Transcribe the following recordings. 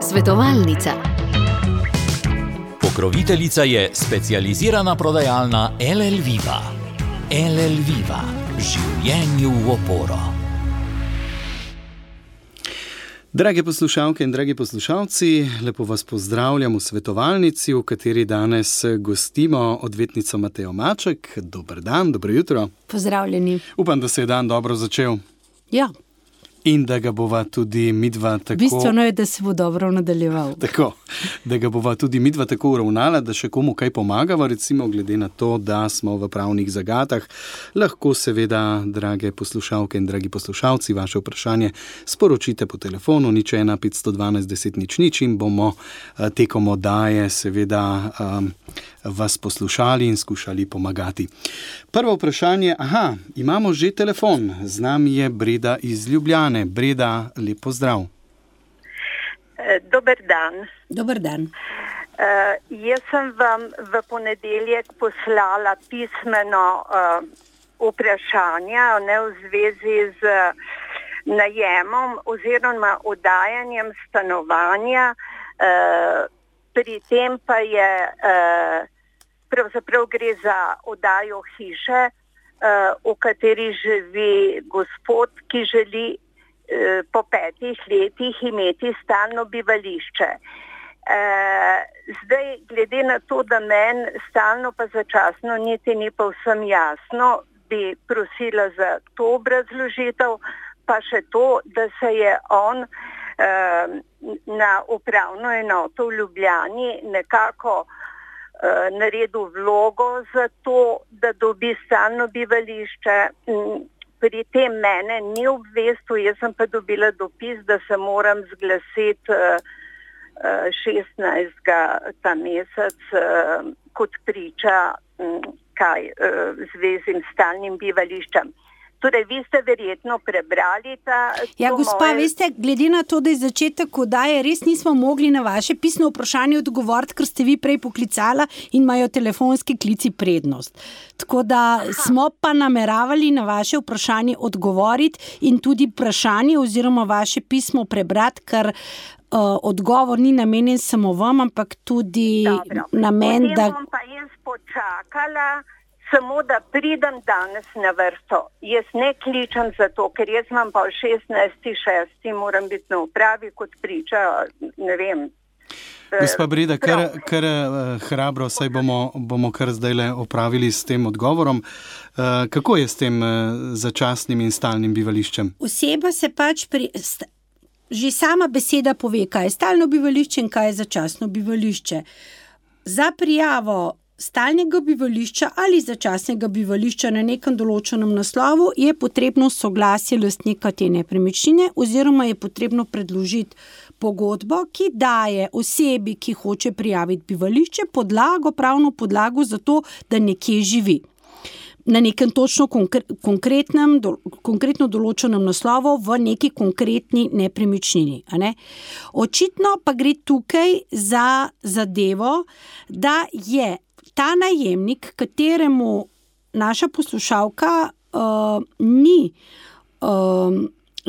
Svetovalnica. Pokroviteljica je specializirana prodajalna LL Viva. LL Viva. Življenju v oporo. Drage poslušalke in dragi poslušalci, lepo vas pozdravljam v svetovalnici, v kateri danes gostimo odvetnico Matejo Maček. Dober dan, dobro jutro. Pozdravljeni. Upam, da se je dan dobro začel. Ja. In da ga bova tudi midva tako... Bistveno je, da se bo dobro nadaljeval. Tako, da ga bova tudi midva tako uravnala, da še komu kaj pomagava, recimo glede na to, da smo v pravnih zagatah. Lahko seveda, drage poslušalke in dragi poslušalci, vaše vprašanje sporočite po telefonu 01 512 10 00 in bomo tekom oddaje seveda vas poslušali in skušali pomagati. Prvo vprašanje, imamo že telefon, z nami je Breda iz Ljubljane. Breda, lep pozdrav. Dober dan. Dober dan. Jaz sem vam v ponedeljek poslala pismeno vprašanja v zvezi z najemom oziroma oddajanjem stanovanja. Pri tem pa je pravzaprav gre za oddajo hiše, v kateri živi gospod, ki želi po 5 letih imeti stalno bivališče. Zdaj, glede na to, da meni stalno pa začasno niti ni povsem jasno, bi prosila za to obrazložitev, pa še to, da se je on na upravno enoto v Ljubljani nekako naredil vlogo za to, da dobi stalno bivališče. Pri tem mene ni obvestil, jaz sem pa dobila dopis, da se moram zglasiti 16. ta mesec kot priča v zvezi s stalnim bivališčem. Torej, vi ste verjetno prebrali gospa, veste, glede na to, da je začetek oddaje, res nismo mogli na vaše pisno vprašanje odgovoriti, ker ste vi prej poklicala in imajo telefonski klici prednost. Tako da smo pa nameravali na vaše vprašanje odgovoriti in tudi vprašanje oziroma vaše pismo prebrati, ker odgovor ni namenjen samo vam, ampak tudi namen, da... Potem bom pa jaz počakala, samo da pridem danes na vrsto. Jaz ne kličem za to, ker jaz imam pa 16.6. moram biti na upravi kot priča, ne vem. Gospa Breda, kar hrabro, saj bomo kar zdajle opravili s tem odgovorom. Kako je s tem začasnim in stalnim bivališčem? Oseba se pač že sama beseda pove, kaj je stalno bivališče in kaj je začasno bivališče. Za prijavo stalnega bivališča ali začasnega bivališča na nekem določenem naslovu je potrebno soglasje lastnika te nepremičnine oziroma je potrebno predložiti pogodbo, ki daje osebi, ki hoče prijaviti bivališče, pravno podlago za to, da nekje živi. Na nekem točno konkretno določenem naslovu v neki konkretni nepremičnini. Očitno pa gre tukaj za zadevo, da je ta najemnik, kateremu naša poslušalka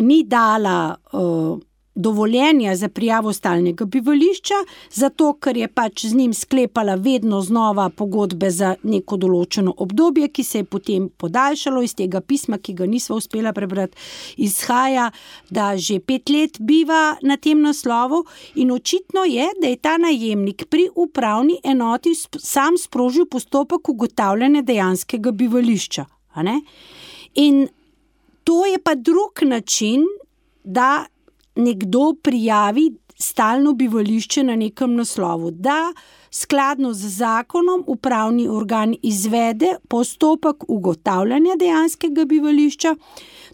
ni dala dovoljenja za prijavo stalnega bivališča, zato ker je pač z njim sklepala vedno znova pogodbe za neko določeno obdobje, ki se je potem podaljšalo. Iz tega pisma, ki ga nisva uspela prebrati, izhaja, da že 5 let biva na tem naslovu in očitno je, da je ta najemnik pri upravni enoti sam sprožil postopek ugotavljanja dejanskega bivališča. In to je pa drug način, da nekdo prijavi stalno bivališče na nekem naslovu, da skladno z zakonom upravni organ izvede postopek ugotavljanja dejanskega bivališča.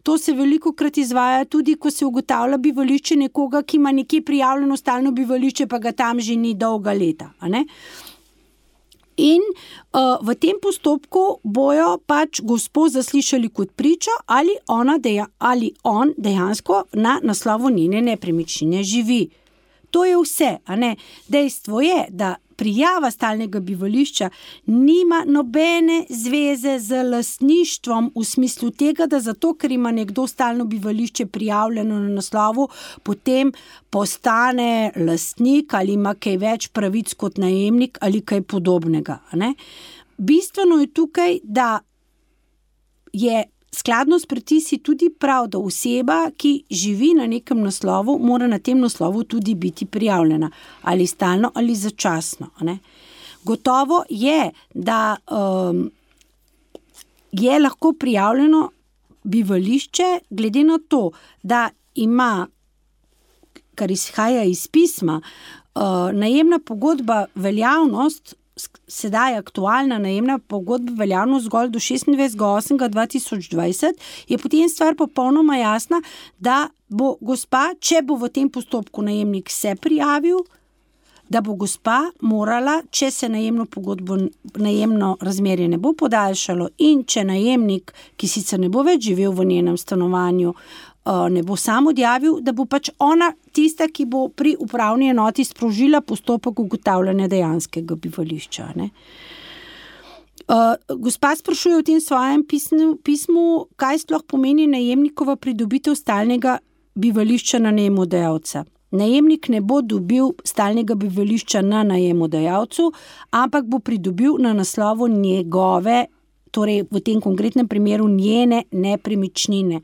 To se velikokrat izvaja tudi, ko se ugotavlja bivališče nekoga, ki ima nekje prijavljeno stalno bivališče, pa ga tam že ni dolga leta. In v tem postopku bojo pač gospo zaslišali kot pričo, ali on dejansko na naslovu njene nepremičnine živi. To je vse, a ne? Dejstvo je, da prijava stalnega bivališča nima nobene zveze z lastništvom v smislu tega, da zato, ker ima nekdo stalno bivališče prijavljeno na naslovu, potem postane lastnik ali ima kaj več pravic kot najemnik ali kaj podobnega. Ne? Bistveno je tukaj, da je skladno s predpisi tudi prav, da oseba, ki živi na nekem naslovu, mora na tem naslovu tudi biti prijavljena, ali stalno ali začasno. Ne? Gotovo je, da je lahko prijavljeno bivališče, glede na to, da ima, kar izhaja iz pisma, najemna pogodba veljavnost, sedaj aktualna najemna pogodba veljavnost zgolj do 26.8.2020, je potem stvar popolnoma jasna, da bo gospa, če bo v tem postopku najemnik se prijavil, da bo gospa morala, če se najemno razmerje ne bo podaljšalo in če najemnik, ki sicer ne bo več živel v njenem stanovanju, ne bo sam odjavil, da bo pač ona tista, ki bo pri upravni enoti sprožila postopek ugotavljanja dejanskega bivališča. Ne? Gospa sprašuje v tem svojem pismu, kaj sploh pomeni najemnikova pridobitev stalnega bivališča na najemodajalca. Najemnik ne bo dobil stalnega bivališča na najemodajalcu, ampak bo pridobil na naslovu njegove, torej v tem konkretnem primeru njene nepremičnine.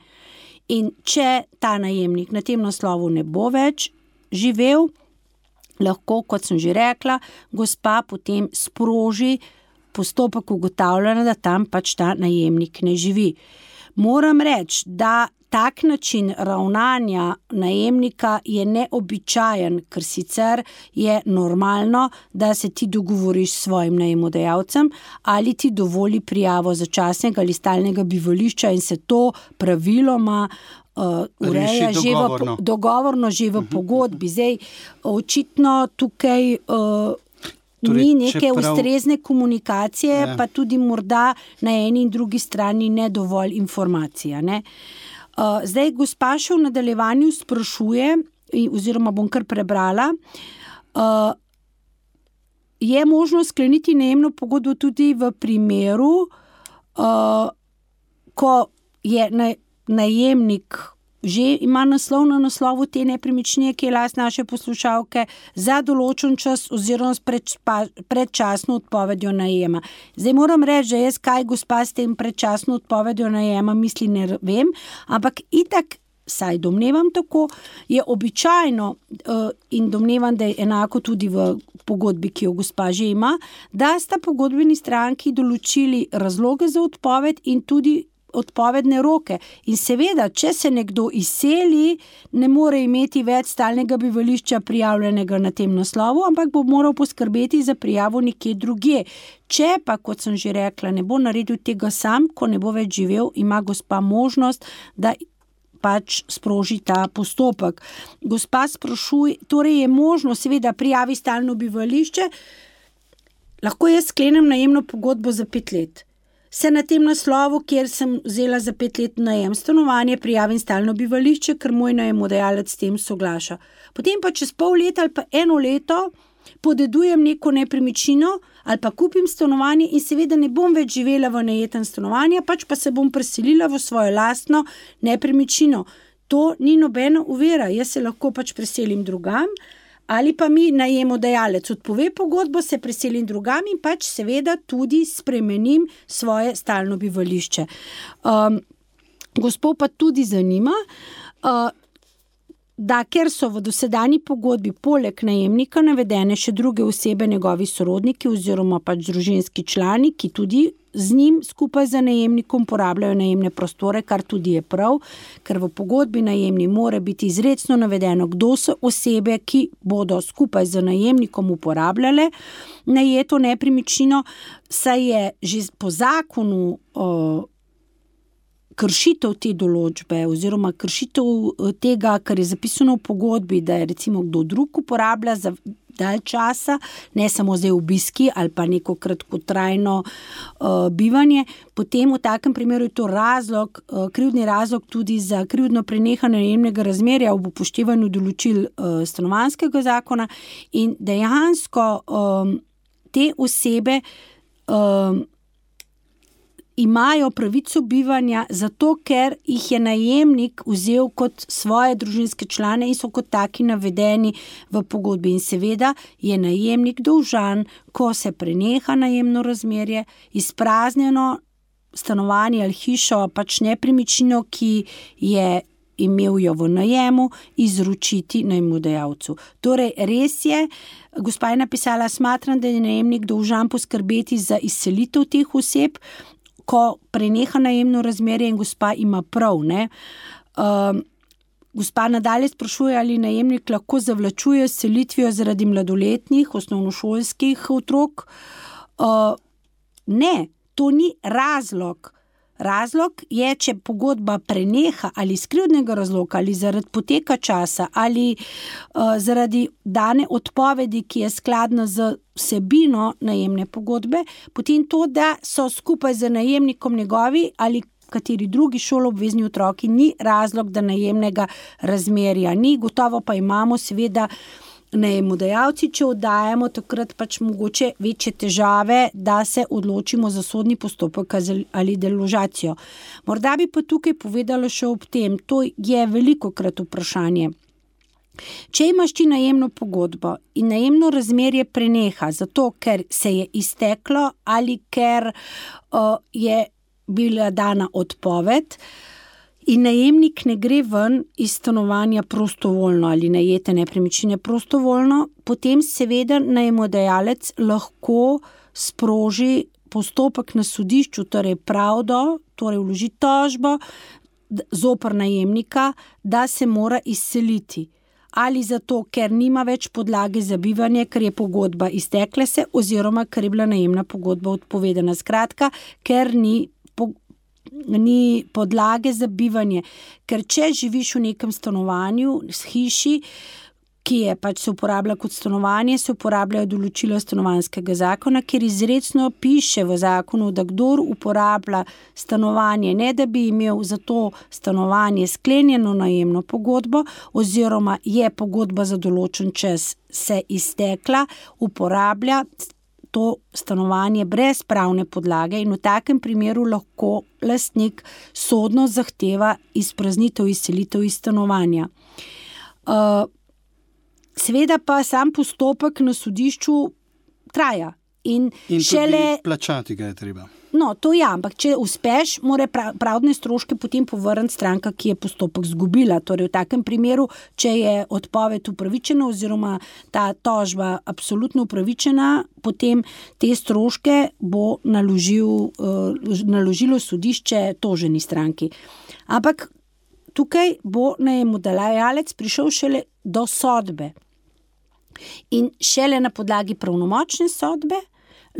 In če ta najemnik na tem naslovu ne bo več živel, lahko, kot sem že rekla, gospa potem sproži postopek ugotavljanja, da tam pač ta najemnik ne živi. Moram reči, da tak način ravnanja najemnika je neobičajen, ker sicer je normalno, da se ti dogovoriš s svojim najemodajalcem ali ti dovoli prijavo začasnega ali stalnega bivališča in se to praviloma ureja dogovorno že v pogodbi. Zdaj, očitno tukaj ni neke ustrezne komunikacije, pa tudi morda na eni in drugi strani ne dovolj informacija, ne? Zdaj, gospa še v nadaljevanju sprašuje, oziroma bom kar prebrala, je možno skleniti najemno pogodbo tudi v primeru, ko je najemnik že ima naslov na naslovu te nepremičnine, ki je last naše poslušalke, za določen čas oziroma s predčasno odpovedjo najema. Zdaj moram reči, da jaz kaj gospa s tem predčasno odpovedjo najema misli, ne vem, ampak itak, saj domnevam tako, je običajno in domnevam, da je enako tudi v pogodbi, ki jo gospa že ima, da sta pogodbeni stranki določili razloge za odpoved in tudi odpovedne roke. In seveda, če se nekdo izseli, ne more imeti več stalnega bivališča prijavljenega na tem naslovu, ampak bo moral poskrbeti za prijavo nekje drugje. Če pa, kot sem že rekla, ne bo naredil tega sam, ko ne bo več živel, ima gospa možnost, da pač sproži ta postopek. Gospa sprašuje, torej je možno seveda prijavi stalno bivališče, lahko jaz sklenem najemno pogodbo za 5 let. Se na tem naslovu, kjer sem vzela za 5 let najem stanovanje, prijavim stalno bivališče, ker moj najemodajalec s tem soglaša. Potem pa čez pol leta ali pa 1 leto podedujem neko nepremičnino ali pa kupim stanovanje in seveda ne bom več živela v najetem stanovanju, pač pa se bom preselila v svojo lastno nepremičnino. To ni nobena ovira, jaz se lahko pač preselim drugam, ali pa mi najemodajalec odpove pogodbo, se preselim drugam in pač seveda tudi spremenim svoje stalno bivališče. Gospod pa tudi zanima, da ker so v dosedanji pogodbi poleg najemnika navedene še druge osebe, njegovi sorodniki oziroma pač družinski člani, ki tudi z njim skupaj z najemnikom porabljajo najemne prostore, kar tudi je prav, ker v pogodbi najemni mora biti izrecno navedeno, kdo so osebe, ki bodo skupaj z najemnikom uporabljale najeto nepremičnino, saj je že po zakonu kršitev te določbe oziroma kršitev tega, kar je zapisano v pogodbi, da je recimo kdo drug uporablja dalj časa, ne samo zdaj obiski ali pa neko kratkotrajno bivanje, potem v takem primeru je to razlog, krivdni razlog tudi za krivdno prenehanje najemnega razmerja ob upoštevanju določil stanovanjskega zakona in dejansko te osebe imajo pravico bivanja zato, ker jih je najemnik vzel kot svoje družinske člane in so kot taki navedeni v pogodbi. In seveda je najemnik dolžan, ko se preneha najemno razmerje, izpraznjeno stanovanje ali hišo, pač nepremičnino, ki je imel jo v najemu, izročiti najmodajalcu. Torej, res je, gospa je napisala, smatram, da je najemnik dolžan poskrbeti za izselitev teh oseb, ko preneha najemno razmerje in gospa ima prav, ne. Gospa nadalje sprašuje, ali najemnik lahko zavlačuje s selitvijo zaradi mladoletnih, osnovnošolskih otrok. Ne, to ni razlog. Razlog je, če pogodba preneha ali iz krivdnega razloga, ali zaradi poteka časa, ali zaradi dane odpovedi, ki je skladna z vsebino najemne pogodbe, potem to, da so skupaj z najemnikom njegovi ali kateri drugi šoloobvezni otroki, ni razlog, da najemnega razmerja ni. Gotovo pa imamo seveda najemodajalci, če oddajamo, takrat pač mogoče večje težave, da se odločimo za sodni postopek ali deložacijo. Morda bi pa tukaj povedala še ob tem, to je velikokrat vprašanje. Če imaš ti najemno pogodbo in najemno razmerje preneha zato, ker se je izteklo ali ker je bila dana odpoved, in najemnik ne gre ven iz stanovanja prostovoljno ali najete nepremičnine prostovoljno, potem seveda najemodajalec lahko sproži postopek na sodišču, torej pravdo, torej vloži tožbo zoper najemnika, da se mora izseliti. Ali zato, ker nima več podlage za bivanje, ker je pogodba iztekla se, oziroma ker je bila najemna pogodba odpovedana. Skratka, ker ni podlage za bivanje. Ker če živiš v nekem stanovanju, hiši, ki je pač se uporablja kot stanovanje, se uporabljajo določila stanovanjskega zakona, kjer izrecno piše v zakonu, da kdor uporablja stanovanje, ne da bi imel za to stanovanje sklenjeno najemno pogodbo, oziroma je pogodba za določen čas se iztekla, uporablja to stanovanje brez pravne podlage in v takem primeru lahko lastnik sodno zahteva izpraznitev, izselitev iz stanovanja. Seveda pa sam postopek na sodišču traja. In šele tudi plačati ga je treba. No, to ja, ampak če uspeš, mora pravdne stroške potem povrniti stranka, ki je postopek izgubila. Torej v takem primeru, če je odpoved upravičena oziroma ta tožba absolutno upravičena, potem te stroške bo naložilo sodišče toženi stranki. Ampak tukaj bo najemodajalec prišel šele do sodbe. In šele na podlagi pravnomočne sodbe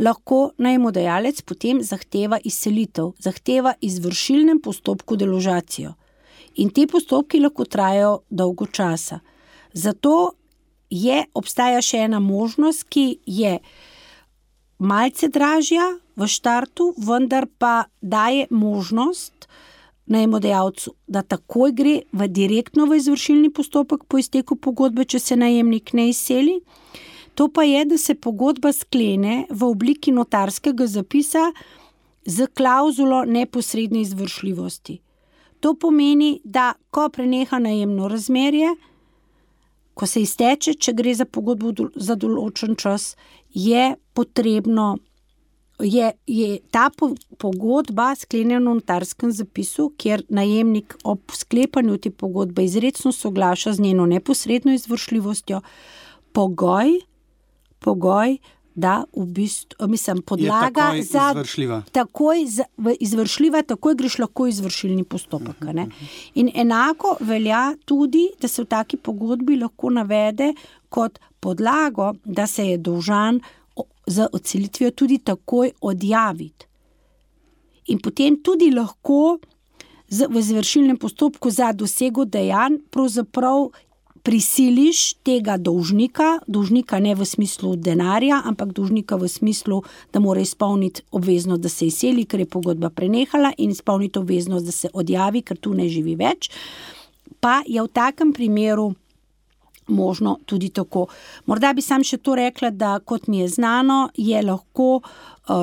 lahko najemodajalec potem zahteva izselitev, zahteva izvršilnem postopku deložacijo. In te postopki lahko trajajo dolgo časa. Zato obstaja še ena možnost, ki je malce dražja v štartu, vendar pa daje možnost najemodajalcu, da takoj gre direktno v izvršilni postopek po izteku pogodbe, če se najemnik ne izseli. To pa je, da se pogodba sklene v obliki notarskega zapisa z klavzulo neposredne izvršljivosti. To pomeni, da ko preneha najemno razmerje, ko se izteče, če gre za pogodbo za določen čas, je potrebno, je ta pogodba sklenjena v notarskem zapisu, kjer najemnik ob sklepanju te pogodbe izrecno soglaša z njeno neposredno izvršljivostjo, pogoj, da v bistvu, podlaga je za izvršljiva, takoj greš lahko izvršilni postopek. Ne? In enako velja tudi, da se v taki pogodbi lahko navede kot podlago, da se je dolžan z odselitvijo tudi takoj odjaviti. In potem tudi lahko v izvršilnem postopku za dosego dejanj pravzaprav prisiliš tega dolžnika ne v smislu denarja, ampak dolžnika v smislu, da mora izpolniti obveznost, da se izseli, ker je pogodba prenehala, in izpolniti obveznost, da se odjavi, ker tu ne živi več, pa je v takem primeru možno tudi tako. Morda bi sam še to rekla, da kot mi je znano, je lahko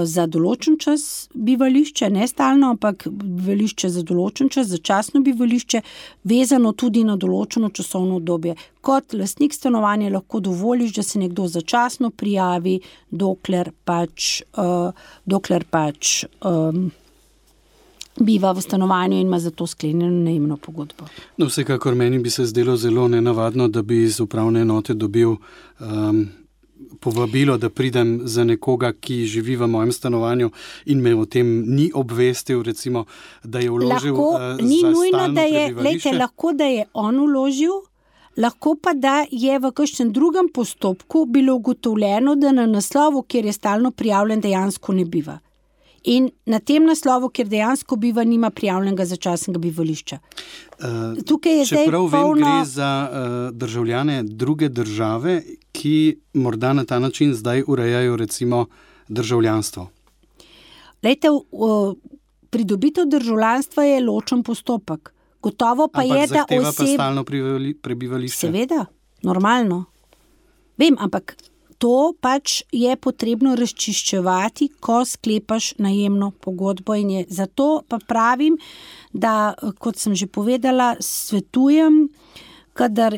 za določen čas bivališče, ne stalno, ampak bivališče za določen čas, začasno bivališče, vezano tudi na določeno časovno obdobje. Kot lastnik stanovanja lahko dovoliš, da se nekdo začasno prijavi, dokler pač biva v stanovanju in ima za to sklenjeno najemno pogodbo. No, vsekakor meni bi se zdelo zelo nenavadno, da bi iz upravne enote dobil povabilo, da pridem za nekoga, ki živi v mojem stanovanju in me o tem ni obvestil, recimo, da je vložil ni za nujno, stalno da je, prebivališče. lahko, da je on vložil, lahko pa, da je v kakšnem drugem postopku bilo ugotovljeno, da na naslovu, kjer je stalno prijavljen, dejansko ne biva. In na tem naslovu, kjer dejansko biva, nima prijavljenega začasnega bivališča. Tukaj je Čeprav zdaj vem, gre za državljane druge države, ki morda na ta način zdaj urejajo recimo državljanstvo. Lejte, pridobitev državljanstva je ločen postopek. Gotovo pa ampak je, da zahteva pa stalno prebivališče. Seveda, normalno. Vem, ampak to pač je potrebno razčiščevati, ko sklepaš najemno pogodbo, in je zato pa pravim, da, kot sem že povedala, svetujem, kadar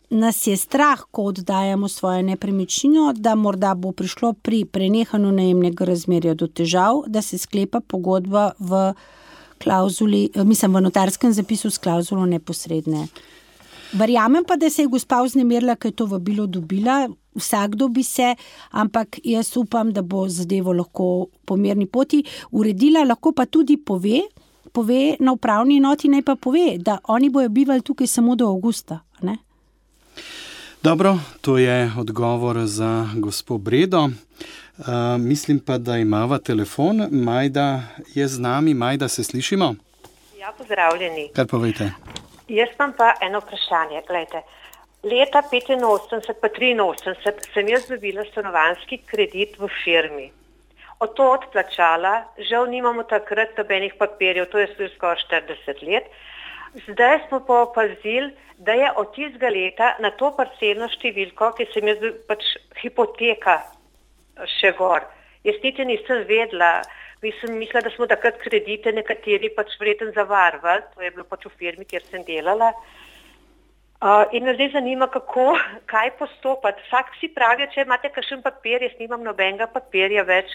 nas je strah, ko oddajamo svojo nepremičnino, da morda bo prišlo pri prenehanju najemnega razmerja do težav, da se sklepa pogodba v notarskem zapisu s klavzulo neposredne. Verjamem pa, da se je gospa vznemirila, ker je to vabilo dobila, vsakdo bi se, ampak jaz upam, da bo zadevo lahko po mirni poti uredila, lahko pa tudi pove na upravni enoti, naj pa pove, da oni bojo bivali tukaj samo do avgusta, ne? Dobro, to je odgovor za gospo Bredo. Mislim pa, da imava telefon. Majda je z nami. Majda, se slišimo? Ja, pozdravljeni. Kar povejte. Jaz imam pa eno vprašanje. Glejte, leta 85 pa 83 sem jaz dobila stanovanjski kredit v firmi. Od to odplačala, žal nimamo takrat nobenih papirjev, to je skoraj 40 let. Zdaj smo pa opazili, da je od tistega leta na to parcelno številko, ki sem jaz pač hipoteka še gor. Jaz niti nisem vedela, mislila, da smo takrat kredite nekateri pač verjetno zavarvali, to je bilo pač v firmi, kjer sem delala. In me zdaj zanima, kaj postopati. Vsak si pravi, če imate kakšen papir, jaz nimam nobenega papirja več,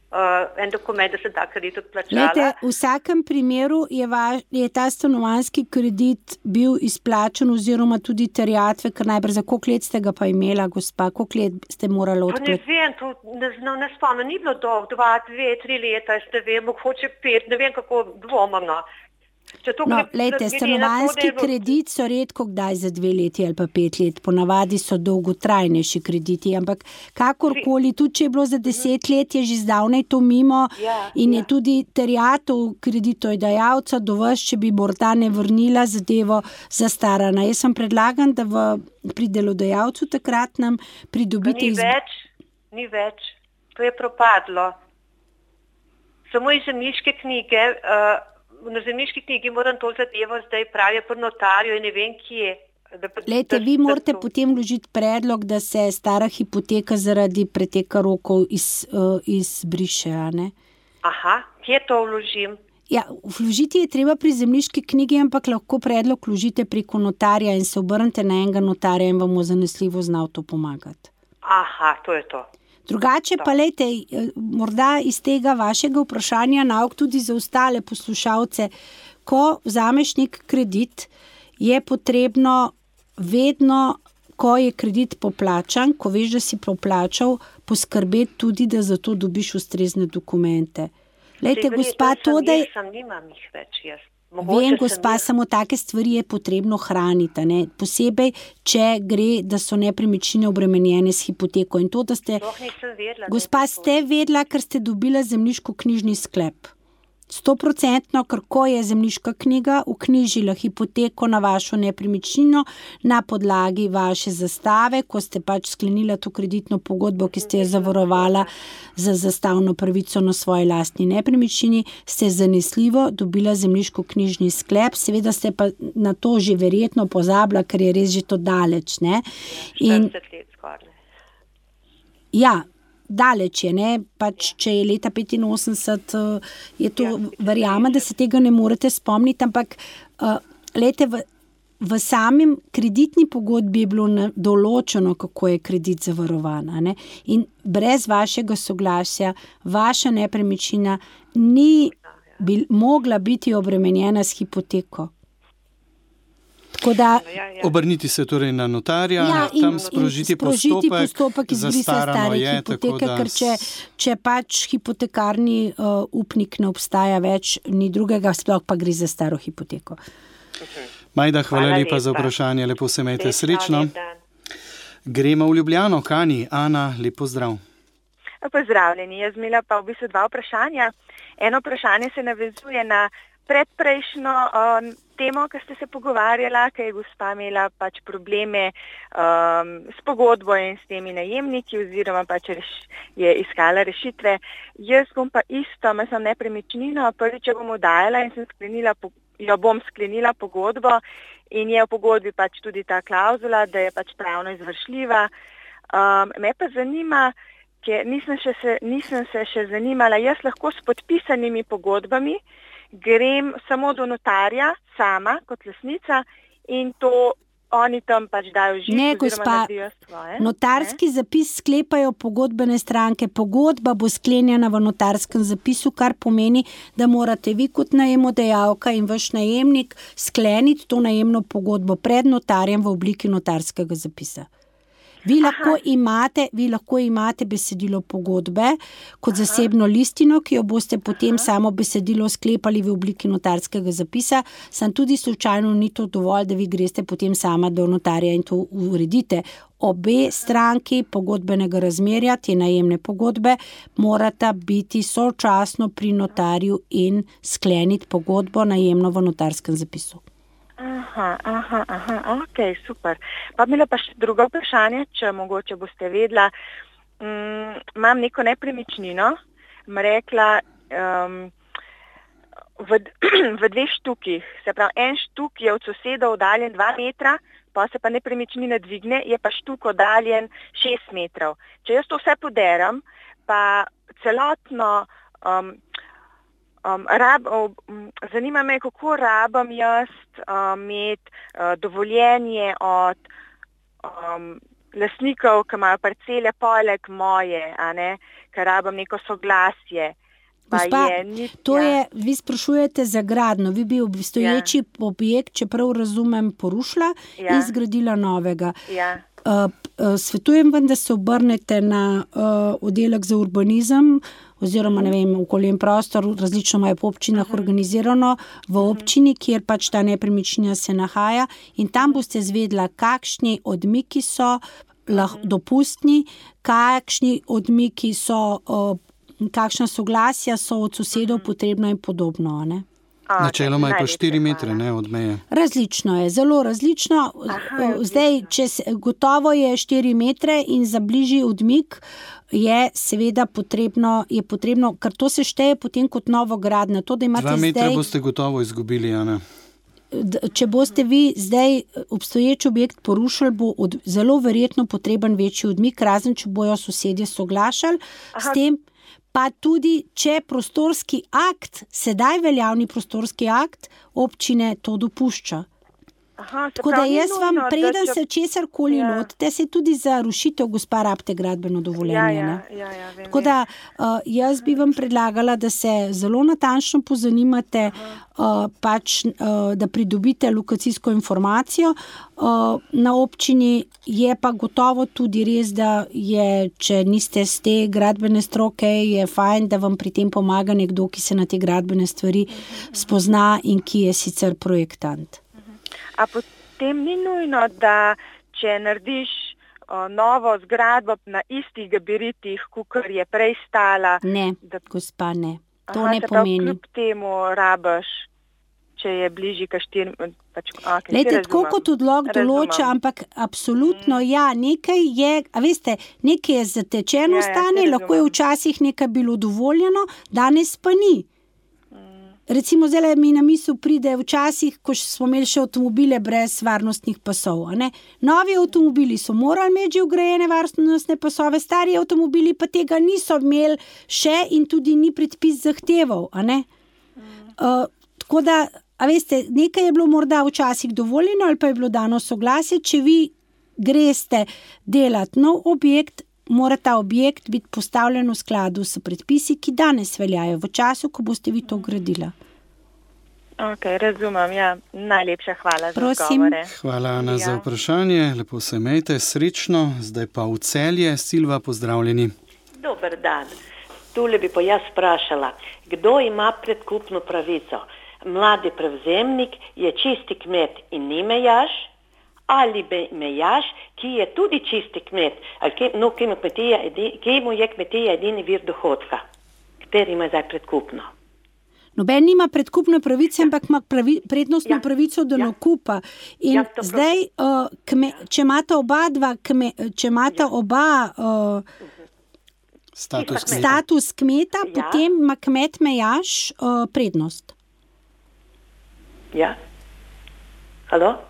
en dokument, da sem ta kredit odplačala. Lejte, v vsakem primeru je ta stanovanjski kredit bil izplačen oziroma tudi terjatve, ker najbrž za koliko let ste ga pa imela, gospa, koliko let ste morali odplačati? Pa ne vem, ne spomnim, ni bilo dolgo, 2, 2, 3 leta, jaz ne vem, mogoče 5, ne vem, kako dvomam, no. Lejte, stanovanjski kredit so redko kdaj za 2 leti ali pa 5 let, ponavadi so dolgotrajnejši krediti, ampak kakorkoli, tudi če je bilo za 10 let, je že zdavnaj to mimo in je tudi terjatev kreditodajalca do vas, če bi morda ne vrnila zadevo zastarana. Jaz sem predlagan, da pri delodajalcu takratnem pridobite... Ni več, to je propadlo. Samo iz zemljiške knjige... Na zemljiški knjigi moram to zadevo zdaj pravijo pri notarju in ne vem kje. Lejte, vi morate potem vložiti predlog, da se stara hipoteka zaradi preteka rokov izbriše, a ne? Aha, kje to vložim? Ja, vložiti je treba pri zemljiški knjigi, ampak lahko predlog vložite preko notarja in se obrnite na enega notarja in vam bo zanesljivo znal to pomagati. Aha, to je to. Drugače pa, lejte, morda iz tega vašega vprašanja nauk tudi za ostale poslušalce, ko vzameš nek kredit, je potrebno vedno, ko je kredit poplačan, ko veš, da si poplačal, poskrbeti tudi, da za to dobiš ustrezne dokumente. Lejte, gospa, to, da je... Nimam jih več jaz. Vem, gospa, samo take stvari je potrebno hraniti, ne? Posebej, če gre, da so nepremičnine obremenjene s hipoteko. In to, da ste... Nisem vedela, gospa, ste vedela, ker ste dobila zemljiško-knjižni sklep. 100%, ker ko je zemljiška knjiga vknjižila hipoteko na vašo nepremičnino na podlagi vaše zastave, ko ste pač sklenila to kreditno pogodbo, ki ste jo zavarovala za zastavno pravico na svoji lastni nepremičnini, ste zanesljivo dobila zemljiško-knjižni sklep, seveda ste pa na to že verjetno pozabila, ker je res že to daleč, ne? 40 let skoraj. Ja, daleč je, ne, pač če je leta 85, je to, verjamem, da se tega ne morete spomniti, ampak lejte, v samem kreditni pogodbi je bilo določeno, kako je kredit zavarovan, ne, in brez vašega soglasja vaša nepremičnina ni mogla biti obremenjena s hipoteko. Da, obrniti se torej na notarja, tam sprožiti postopek zastarano je, hipoteke, tako da... Ker če pač hipotekarni upnik ne obstaja več, ni drugega, sploh pa gre za staro hipoteko. Majda, hvala lepa za vprašanje, lepo se imejte, srečno. Gremo v Ljubljano, Kani, Ana, lep pozdrav. Pozdravljeni, jaz imela pa v bistvu 2 vprašanja. Eno vprašanje se navezuje na predprejšnjo temo, ki ste se pogovarjala, ker je gospa imela pač probleme s pogodbo in s temi najemniki oziroma pač je iskala rešitve. Jaz bom pa isto, sem nepremičnino, prvič jo bom oddajala in jo bom sklenila pogodbo in je v pogodbi pač tudi ta klauzula, da je pač pravno izvršljiva. Me pa zanima, ker nisem se še zanimala, jaz lahko s podpisanimi pogodbami grem samo do notarja, sama, kot lastnica, in to oni tam pač dajo žig oziroma naredijo svoje. Notarski zapis sklepajo pogodbene stranke. Pogodba bo sklenjena v notarskem zapisu, kar pomeni, da morate vi kot najemodajalka in vaš najemnik skleniti to najemno pogodbo pred notarjem v obliki notarskega zapisa. Vi lahko imate besedilo pogodbe kot zasebno listino, ki jo boste potem samo besedilo sklepali v obliki notarskega zapisa, sam tudi slučajno ni to dovolj, da vi greste potem sama do notarja in to uredite. Obe stranki pogodbenega razmerja, te najemne pogodbe, morata biti sočasno pri notarju in skleniti pogodbo najemno v notarskem zapisu. Ok, super. Pa imela pa še drugo vprašanje, če mogoče boste vedela. Imam neko nepremičnino, rekla v 2 štukih, se pravi, en štuk je od soseda oddaljen 2 metra, pa se pa nepremičnina dvigne, je pa štuk oddaljen 6 metrov. Če jaz to vse poderam, pa celotno zanima me, kako rabam jaz imeti dovoljenje od lastnikov, ki imajo parcele poleg moje, a ne, ker rabam neko soglasje. Gospa, vi sprašujete za gradnjo, vi bi obstoječi objekt, čeprav razumem, porušila in zgradila novega. Svetujem vam, da se obrnete na oddelek za urbanizem oziroma, ne vem, okolje in prostor, različno imajo po občinah organizirano v občini, kjer pač ta nepremičnina se nahaja, in tam boste zvedela, kakšni odmiki so dopustni, kakšni odmiki so, kakšna soglasja so od sosedov potrebna in podobno, ne? Načeloma je pa 4 metre, ne, od meje. Različno je, zelo različno. Zdaj, gotovo je 4 metre in za bližji odmik je seveda potrebno, ker to se šteje potem kot novogradnja. 2 metre boste gotovo izgubili, Ana. Če boste vi zdaj obstoječ objekt porušili, bo zelo verjetno potreben večji odmik, razen če bojo sosedje soglašali s tem. Pa tudi, če prostorski akt, sedaj veljavni prostorski akt, občine to dopušča. Tako da jaz vam, preden se česarkoli lotite, se tudi za rušitev, gospa, rabite gradbeno dovoljenje. Tako da jaz bi vam predlagala, da se zelo natančno pozanimate, da pridobite lokacijsko informacijo. Na občini je pa gotovo tudi res, da je, če niste z te gradbene stroke, je fajn, da vam pri tem pomaga nekdo, ki se na te gradbene stvari spozna in ki je sicer projektant. A potem ni nujno, da če narediš novo zgradbo na istih gabaritih, kakor je prej stala? Ne, gospa, ne. To ne pomeni. Kljub temu rabaš, če je bližji ka 4. Lejte, tako kot odlok določa, ampak absolutno nekaj je, a veste, nekaj je zatečeno stanje, lahko je včasih nekaj bilo dovoljeno, danes pa ni. Recimo, zdaj mi na misel pride včasih, ko smo imeli še avtomobile brez varnostnih pasov. Novi avtomobili so morali imeti že vgrajene varnostne pasove, stari avtomobili pa tega niso imeli še in tudi ni predpis zahteval. Tako da, a veste, nekaj je bilo morda včasih dovoljeno ali pa je bilo dano soglasje, če vi greste delati nov objekt, mora ta objekt biti postavljen v skladu s predpisi, ki danes veljajo, v času, ko boste vi to gradila. Ok, razumem, Najlepša hvala za Prosim. odgovore. Hvala, Ana, za vprašanje. Lepo se imejte, srečno. Zdaj pa v Celje. Silva, pozdravljeni. Dober dan. Tule bi pa jaz vprašala, kdo ima predkupno pravico? Mladi prevzemnik je čisti kmet in ni mejaš? Ali mejaš, ki je tudi čisti kmet, ki mu je kmetija edini vir dohodka, kateri ima zdaj predkupno. Noben nima predkupne pravice, ampak ima prednostno pravico do nakupa. In zdaj, če imata oba status kmeta, potem ima kmet mejaš prednost. Ja. Halo?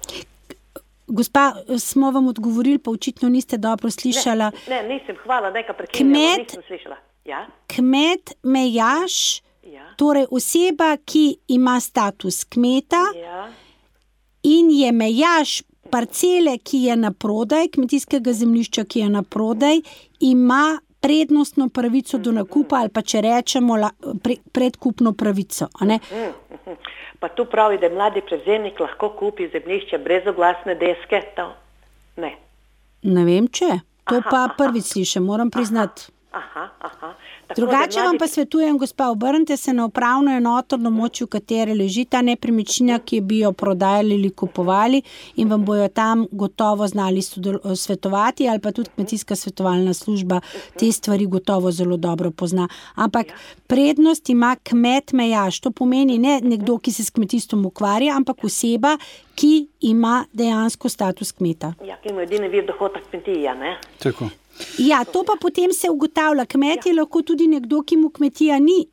Gospa, smo vam odgovorili, pa očitno niste dobro slišala. Ne, nisem, hvala, nekaj prekinjamo, nisem slišala. Ja? Kmet mejaš, torej oseba, ki ima status kmeta in je mejaš parcele, ki je na prodaj, kmetijskega zemljišča, ki je na prodaj, ima prednostno pravico do nakupa ali pa če rečemo predkupno pravico. Pa tu pravi, da mladi prevzemnik lahko kupi zemljišče brez oglasne deske? Ne. Ne vem, če. To pa prvič slišim, moram priznati. Drugače vam pa svetujem, gospa, obrnite se na upravno enoto, na območju katere leži ta nepremičnina, ki bi jo prodajali ali kupovali, in vam bojo tam gotovo znali svetovati, ali pa tudi kmetijska svetovalna služba te stvari gotovo zelo dobro pozna. Ampak prednost ima kmet mejaš. To pomeni ne nekdo, ki se s kmetijstvom ukvarja, ampak oseba, ki ima dejansko status kmeta. Ja, ki ima edini vir dohodka kmetija, ne? Tako. Ja, to pa potem se ugotavlja. Kmet je lahko tudi nekdo, ki mu kmetija ni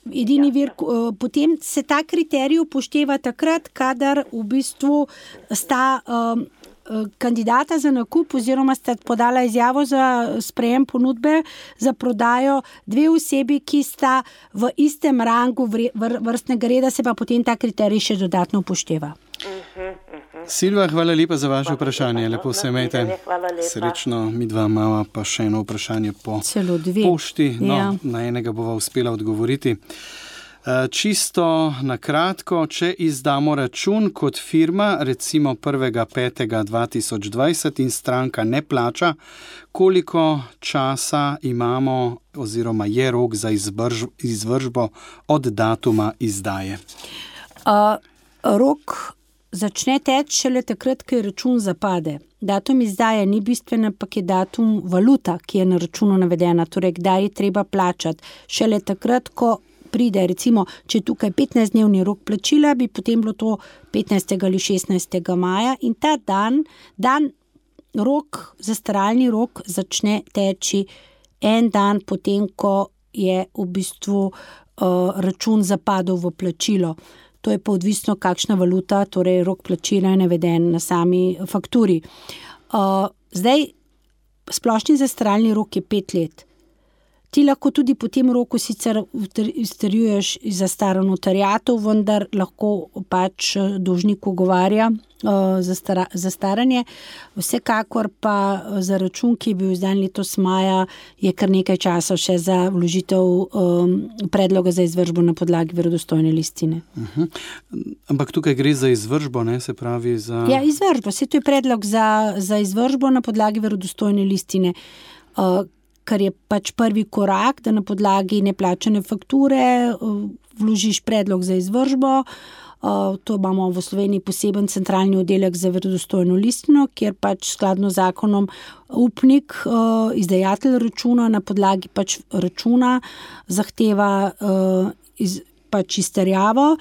edini vir. Potem se ta kriterij upošteva takrat, kadar v bistvu sta kandidata za nakup oziroma sta podala izjavo za sprejem ponudbe za prodajo dve osebi, ki sta v istem rangu vrstnega reda, se pa potem ta kriterij še dodatno upošteva. Silva, hvala lepa za vaše vprašanje. Lepo se imejte. Srečno, midva imava pa še eno vprašanje po pošti. Na enega bova uspela odgovoriti. Čisto na kratko, če izdamo račun kot firma, recimo 1.5.2020 in stranka ne plača, koliko časa imamo oziroma je rok za izvršbo od datuma izdaje? Rok začne teči šele takrat, ko račun zapade. Datum izdaje ni bistven, ampak je datum valuta, ki je na računu navedena, torej kdaj je treba plačati. Šele takrat, ko pride, recimo, če je tukaj 15-dnevni rok plačila, bi potem bilo to 15. ali 16. maja in ta dan rok, zastaralni rok začne teči en dan potem, ko je v bistvu račun zapadel v plačilo. To je pa odvisno, kakšna valuta, torej rok plačila je naveden na sami fakturi. Zdaj, splošni zastaralni rok je 5 let. Ti lahko tudi po tem roku sicer izterjuješ zastaro notariatov, vendar lahko pač dolžnik ugovarja zastaranje. Vsekakor pa za račun, ki je bil izdan letos maja, je kar nekaj časa še za vložitev predloga za izvršbo na podlagi verodostojne listine. Ampak tukaj gre za izvršbo, ne, se pravi za... Ja, izvršbo. Vse to je predlog za izvršbo na podlagi verodostojne listine, kar je pač prvi korak, da na podlagi neplačane fakture vložiš predlog za izvršbo. To imamo v Sloveniji poseben centralni oddelek za verodostojno listino, kjer pač skladno z zakonom upnik, izdajatelj računa na podlagi pač računa zahteva pač izterjavo,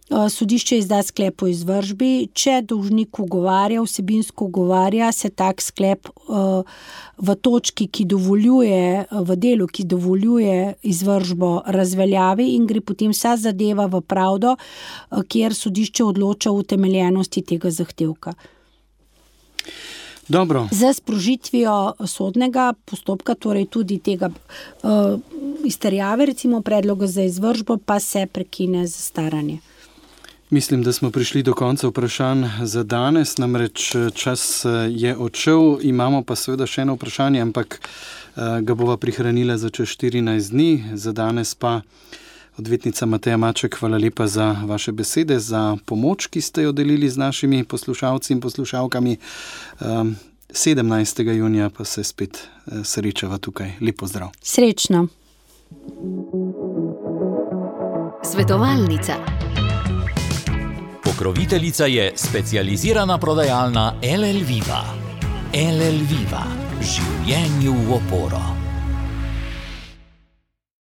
sodišče izda sklep o izvršbi. Če dolžnik ugovarja, vsebinsko ugovarja, se tak sklep v točki, ki dovoljuje, v delu, ki dovoljuje izvršbo, razveljavi in gre potem vsa zadeva v pravdo, kjer sodišče odloča o utemeljenosti tega zahtevka. Dobro. Z sprožitvijo sodnega postopka, torej tudi tega izterjave, recimo predloga za izvršbo, pa se prekine zastaranje. Mislim, da smo prišli do konca vprašanj za danes, namreč čas je odšel, imamo pa seveda še eno vprašanje, ampak ga bova prihranila za čez 14 dni. Za danes pa odvetnica Mateja Maček, hvala lepa za vaše besede, za pomoč, ki ste jo delili z našimi poslušalci in poslušalkami. 17. junija pa se spet srečava tukaj. Lep pozdrav. Srečno. Svetovalnica. Pokroviteljica je specializirana prodajalna LL Viva. LL Viva. Življenju v oporo.